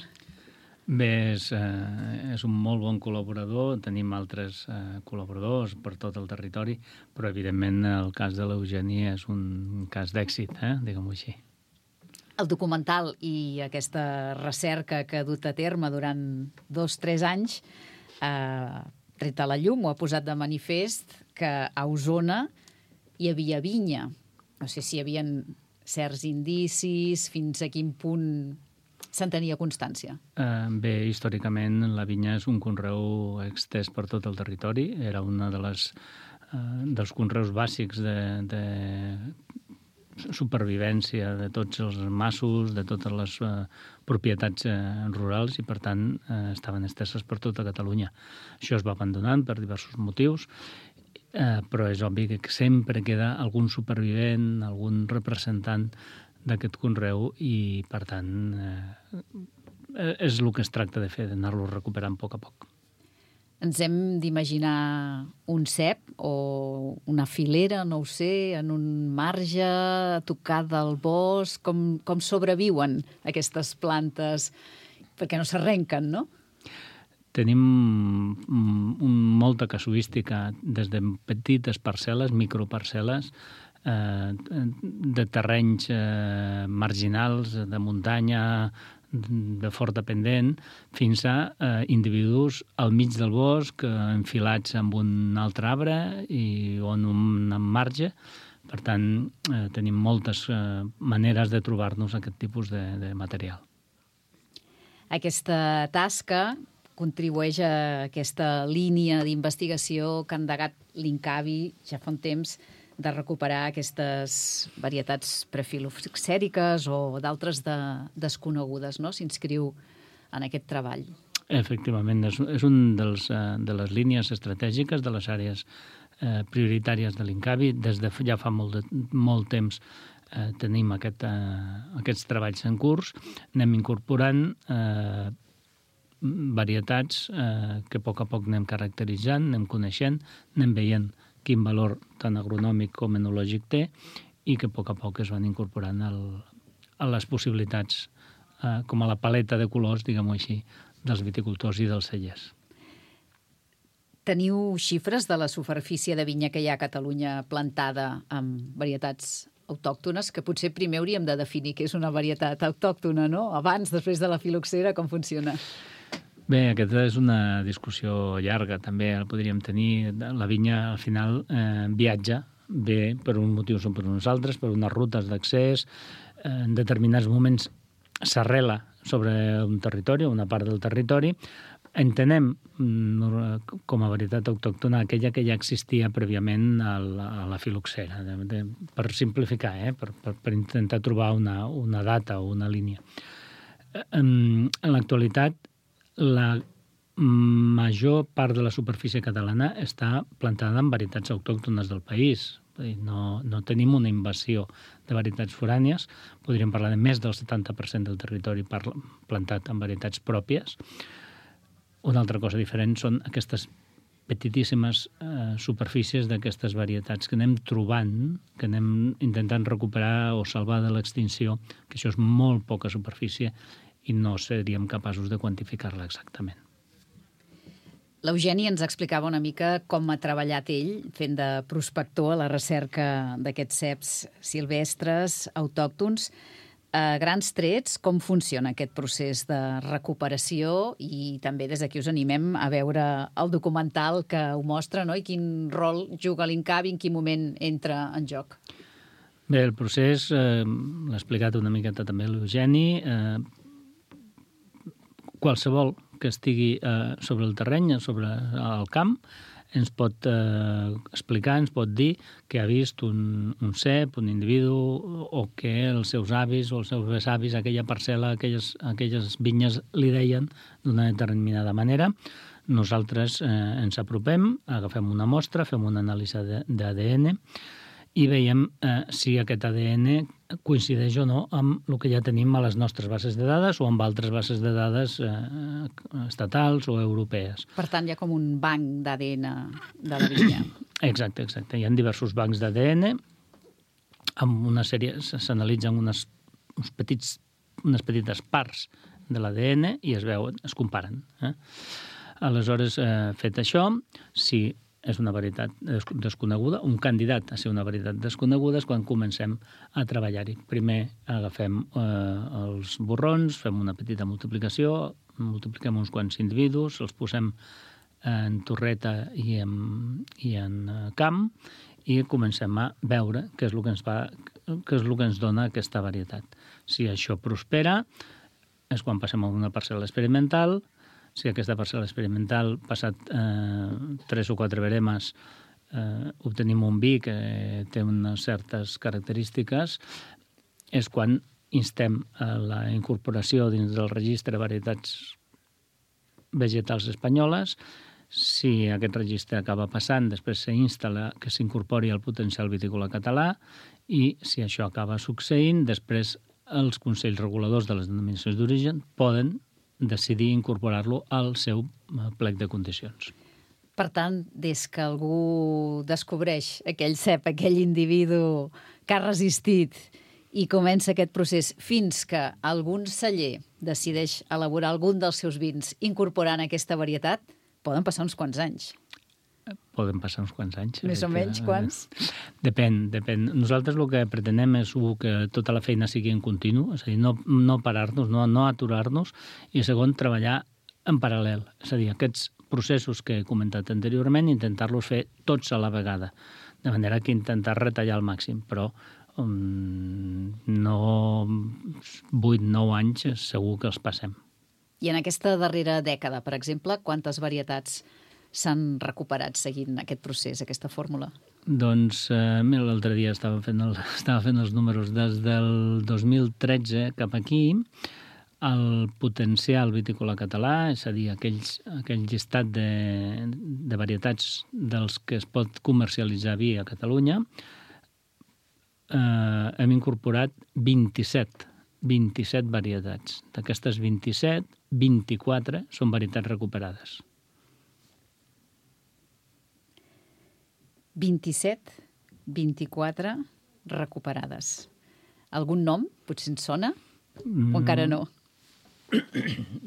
Bé, és, eh, és un molt bon col·laborador, tenim altres eh, col·laboradors per tot el territori, però evidentment el cas de l'Eugeni és un cas d'èxit, eh? diguem-ho així. El documental i aquesta recerca que ha dut a terme durant dos o tres anys ha tret a la llum o ha posat de manifest que a Osona hi havia vinya. No sé si hi havia certs indicis, fins a quin punt se'n tenia constància. Uh, bé, històricament la vinya és un conreu extès per tot el territori. Era una de les, uh, dels conreus bàsics de, de supervivència de tots els massos, de totes les uh, propietats uh, rurals i, per tant, uh, estaven esteses per tota Catalunya. Això es va abandonant per diversos motius, uh, però és obvi que sempre queda algun supervivent, algun representant d'aquest conreu i, per tant, eh, és el que es tracta de fer, d'anar-lo recuperant a poc a poc. Ens hem d'imaginar un cep o una filera, no ho sé, en un marge tocat del bosc, com, com sobreviuen aquestes plantes, perquè no s'arrenquen, no? Tenim un, molta casuística des de petites parcel·les, microparcel·les, eh, de terrenys eh, marginals, de muntanya, de forta pendent, fins a eh, individus al mig del bosc, eh, enfilats amb un altre arbre i on un marge. Per tant, eh, tenim moltes eh, maneres de trobar-nos aquest tipus de, de material. Aquesta tasca contribueix a aquesta línia d'investigació que ha endegat l'Incavi ja fa un temps de recuperar aquestes varietats prefiloxèriques o d'altres de, desconegudes, no? S'inscriu en aquest treball. Efectivament, és, és un dels, de les línies estratègiques de les àrees eh, prioritàries de l'Incavi. Des de ja fa molt, de, molt temps eh, tenim aquest, eh, aquests treballs en curs. Anem incorporant eh, varietats eh, que a poc a poc anem caracteritzant, anem coneixent, anem veient quin valor tant agronòmic com enològic té i que a poc a poc es van incorporant al, a les possibilitats, eh, com a la paleta de colors, diguem-ho així, dels viticultors i dels cellers. Teniu xifres de la superfície de vinya que hi ha a Catalunya plantada amb varietats autòctones, que potser primer hauríem de definir què és una varietat autòctona, no? Abans, després de la filoxera, com funciona? Bé, aquesta és una discussió llarga, també el podríem tenir. La vinya, al final, eh, viatja, bé per uns motius o per uns altres, per unes rutes d'accés, eh, en determinats moments s'arrela sobre un territori, una part del territori. Entenem com a varietat autòctona aquella que ja existia prèviament a la, a la filoxera, de, de, per simplificar, eh, per, per, per intentar trobar una, una data o una línia. En, en l'actualitat, la major part de la superfície catalana està plantada en varietats autòctones del país. No, no tenim una invasió de varietats forànies. Podríem parlar de més del setanta per cent del territori plantat en varietats pròpies. Una altra cosa diferent són aquestes petitíssimes eh, superfícies d'aquestes varietats que anem trobant, que anem intentant recuperar o salvar de l'extinció, que això és molt poca superfície i no seríem capaços de quantificar-la exactament. L'Eugeni ens explicava una mica com ha treballat ell fent de prospector a la recerca d'aquests ceps silvestres autòctons. A grans trets, com funciona aquest procés de recuperació i també des d'aquí us animem a veure el documental que ho mostra, no? I quin rol juga l'Incavi, en quin moment entra en joc. Bé, el procés eh, l'ha explicat una miqueta també l'Eugeni. Eh, qualsevol que estigui eh, sobre el terreny, sobre el camp, ens pot eh, explicar, ens pot dir que ha vist un, un cep, un individu, o que els seus avis o els seus besavis, aquella parcel·la, aquelles, aquelles vinyes li deien d'una determinada manera. Nosaltres eh, ens apropem, agafem una mostra, fem una anàlisi d'A D N i veiem eh, si aquest A D N coincideix o no amb el que ja tenim a les nostres bases de dades o amb altres bases de dades eh, estatals o europees. Per tant, hi ha com un banc d'A D N de la vinya. Exacte, exacte. Hi ha diversos bancs d'A D N amb una sèrie, s'analitzen unes, uns petits, unes petites parts de l'A D N i es veuen, es comparen. Eh? Aleshores, eh, fet això, si és una varietat desconeguda, un candidat a ser una varietat desconeguda és quan comencem a treballar-hi. Primer agafem eh, els borrons, fem una petita multiplicació, multipliquem uns quants individus, els posem en torreta i en, i en camp i comencem a veure què és el que ens fa, què és el que ens dona aquesta varietat. Si això prospera, és quan passem a una parcel·la experimental. Si aquesta parcel·la experimental, passat eh, tres o quatre veremes, eh, obtenim un vi que té unes certes característiques, és quan instem a la incorporació dins del registre de varietats vegetals espanyoles. Si aquest registre acaba passant, després s'insta que s'incorpori al potencial vitícola català i si això acaba succeint, després els consells reguladors de les denominacions d'origen poden decidir incorporar-lo al seu plec de condicions. Per tant, des que algú descobreix aquell cep, aquell individu que ha resistit i comença aquest procés fins que algun celler decideix elaborar algun dels seus vins incorporant aquesta varietat, poden passar uns quants anys. Poden passar uns quants anys. Més o menys, quants? Depèn, depèn. Nosaltres el que pretenem és un, que tota la feina sigui en continu, és a dir, no, no parar-nos, no, no aturar-nos, i segon, treballar en paral·lel. És a dir, aquests processos que he comentat anteriorment, intentar-los fer tots a la vegada, de manera que intentar retallar al màxim, però um, no vuit nou anys segur que els passem. I en aquesta darrera dècada, per exemple, quantes varietats s'han recuperat seguint aquest procés, aquesta fórmula? Doncs, eh, mira, l'altre dia estava fent, el, estava fent els números. Des del dos mil tretze cap aquí, el potencial vitícola català, és a dir, aquells, aquell llistat de, de varietats dels que es pot comercialitzar vi a Catalunya, eh, hem incorporat vint-i-set, vint-i-set varietats. D'aquestes vint-i-set, vint-i-quatre són varietats recuperades. vint-i-set, vint-i-quatre recuperades. Algun nom? Potser ens sona? O encara no?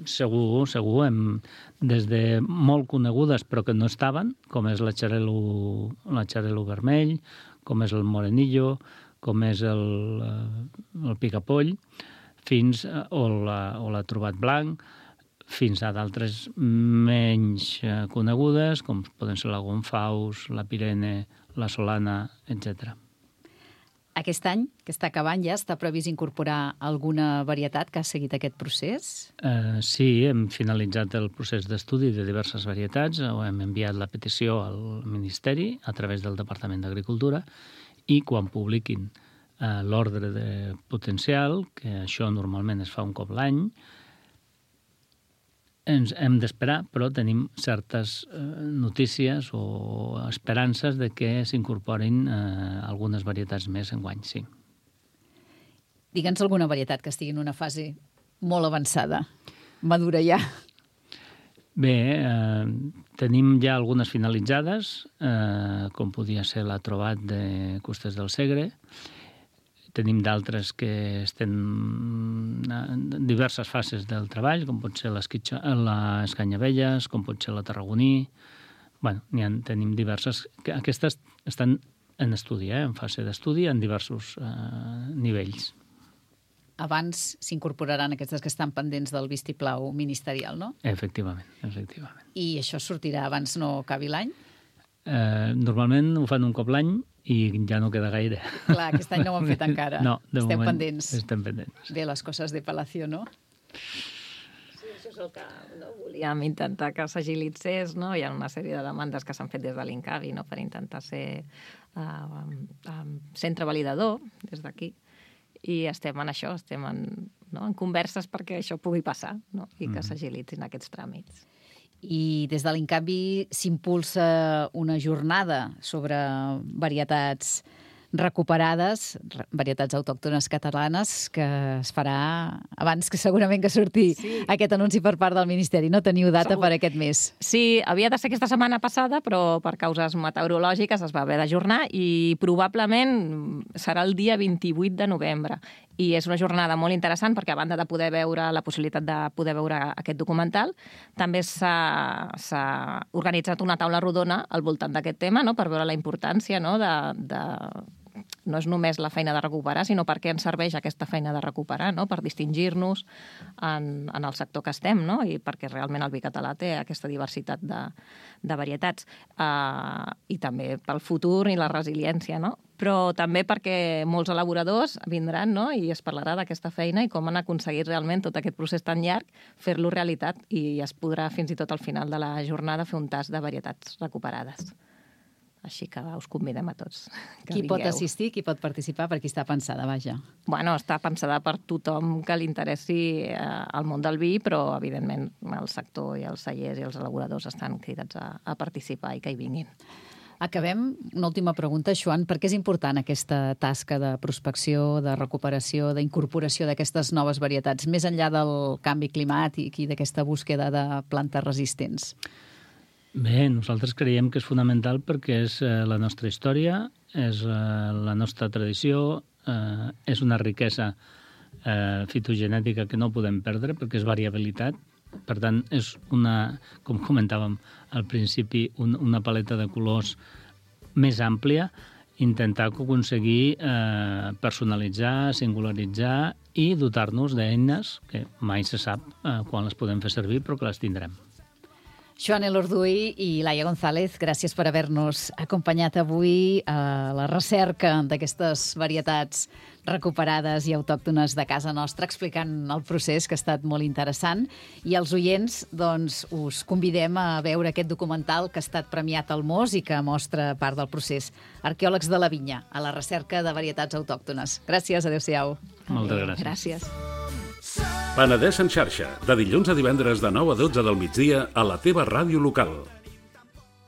Segur, segur. Hem, des de molt conegudes però que no estaven, com és la Xarel·lo, la Xarel·lo vermell, com és el Morenillo, com és el, el Picapoll, fins, o la, o la Trobat Blanc, fins a d'altres menys conegudes, com poden ser la Gonfaus, la Pirene, la Solana, etcètera. Aquest any, que està acabant ja, està previst incorporar alguna varietat que ha seguit aquest procés? Uh, sí, hem finalitzat el procés d'estudi de diverses varietats, hem enviat la petició al Ministeri a través del Departament d'Agricultura i quan publiquin uh, l'ordre de potencial, que això normalment es fa un cop l'any, ens hem d'esperar, però tenim certes eh, notícies o esperances de que s'incorporin eh, algunes varietats més enguany, sí. Digue'ns alguna varietat que estigui en una fase molt avançada, madura ja. Bé, eh, tenim ja algunes finalitzades, eh, com podia ser la Trobat de Costes del Segre. Tenim d'altres que estem en diverses fases del treball, com pot ser les Escanyavelles, com pot ser la Tarragoní. Bé, n'hi ha, tenim diverses. Aquestes estan en estudi, eh, en fase d'estudi, en diversos eh, nivells. Abans s'incorporaran aquestes que estan pendents del vistiplau ministerial, no? Efectivament, efectivament. I això sortirà abans no acabi l'any? Eh, normalment ho fan un cop l'any i ja no queda gaire. Clar, aquest any no ho han fet encara. No, de Esteu moment pendents. estem pendents. Bé, les coses de Palacio, no? Sí, això això és el que no, volíem intentar que s'agilitzés, no? Hi ha una sèrie de demandes que s'han fet des de l'Incavi, no?, per intentar ser uh, um, centre validador des d'aquí, i estem en això, estem en, no?, en converses perquè això pugui passar, no?, i que mm. s'agilitzin aquests tràmits. I des de l'Incavi s'impulsa una jornada sobre varietats recuperades, varietats autòctones catalanes, que es farà abans que segurament que surti sí. aquest anunci per part del Ministeri. No teniu data Segur. per aquest mes. Sí, havia de ser aquesta setmana passada, però per causes meteorològiques es va haver d'ajornar i probablement serà el dia vint-i-vuit de novembre. I és una jornada molt interessant perquè, a banda de poder veure la possibilitat de poder veure aquest documental, també s'ha organitzat una taula rodona al voltant d'aquest tema, no?, per veure la importància, no?, de, de no és només la feina de recuperar, sinó per què ens serveix aquesta feina de recuperar, no?, per distingir-nos en, en el sector que estem, no?, i perquè realment el vi català té aquesta diversitat de, de varietats. Uh, I també pel futur i la resiliència, no?, però també perquè molts elaboradors vindran, no?, i es parlarà d'aquesta feina i com han aconseguit realment tot aquest procés tan llarg, fer-lo realitat, i es podrà fins i tot al final de la jornada fer un tast de varietats recuperades. Així que us convidem a tots que Qui vingueu. pot assistir, qui pot participar, per qui està pensada, vaja? Bueno, està pensada per tothom que li interessi eh, el món del vi, però, evidentment, el sector i els cellers i els elaboradors estan cridats a, a participar i que hi vinguin. Acabem. Una última pregunta, Joan. Per què és important aquesta tasca de prospecció, de recuperació, d'incorporació d'aquestes noves varietats, més enllà del canvi climàtic i d'aquesta búsqueda de plantes resistents? Bé, nosaltres creiem que és fonamental perquè és eh, la nostra història, és eh, la nostra tradició, eh, és una riquesa eh, fitogenètica que no podem perdre perquè és variabilitat. Per tant, és una, com comentàvem al principi, un, una paleta de colors més àmplia, intentar aconseguir eh, personalitzar, singularitzar i dotar-nos d'eines que mai se sap eh, quan les podem fer servir, però que les tindrem. Joan Elorduy i Laia González, gràcies per haver-nos acompanyat avui a la recerca d'aquestes varietats recuperades i autòctones de casa nostra, explicant el procés, que ha estat molt interessant. I als oients, doncs, us convidem a veure aquest documental que ha estat premiat al Mos i que mostra part del procés. Arqueòlegs de la vinya, a la recerca de varietats autòctones. Gràcies, adéu-siau. Moltes gràcies. Gràcies. Penedès en xarxa, de dilluns a divendres de nou a dotze del migdia a la teva ràdio local.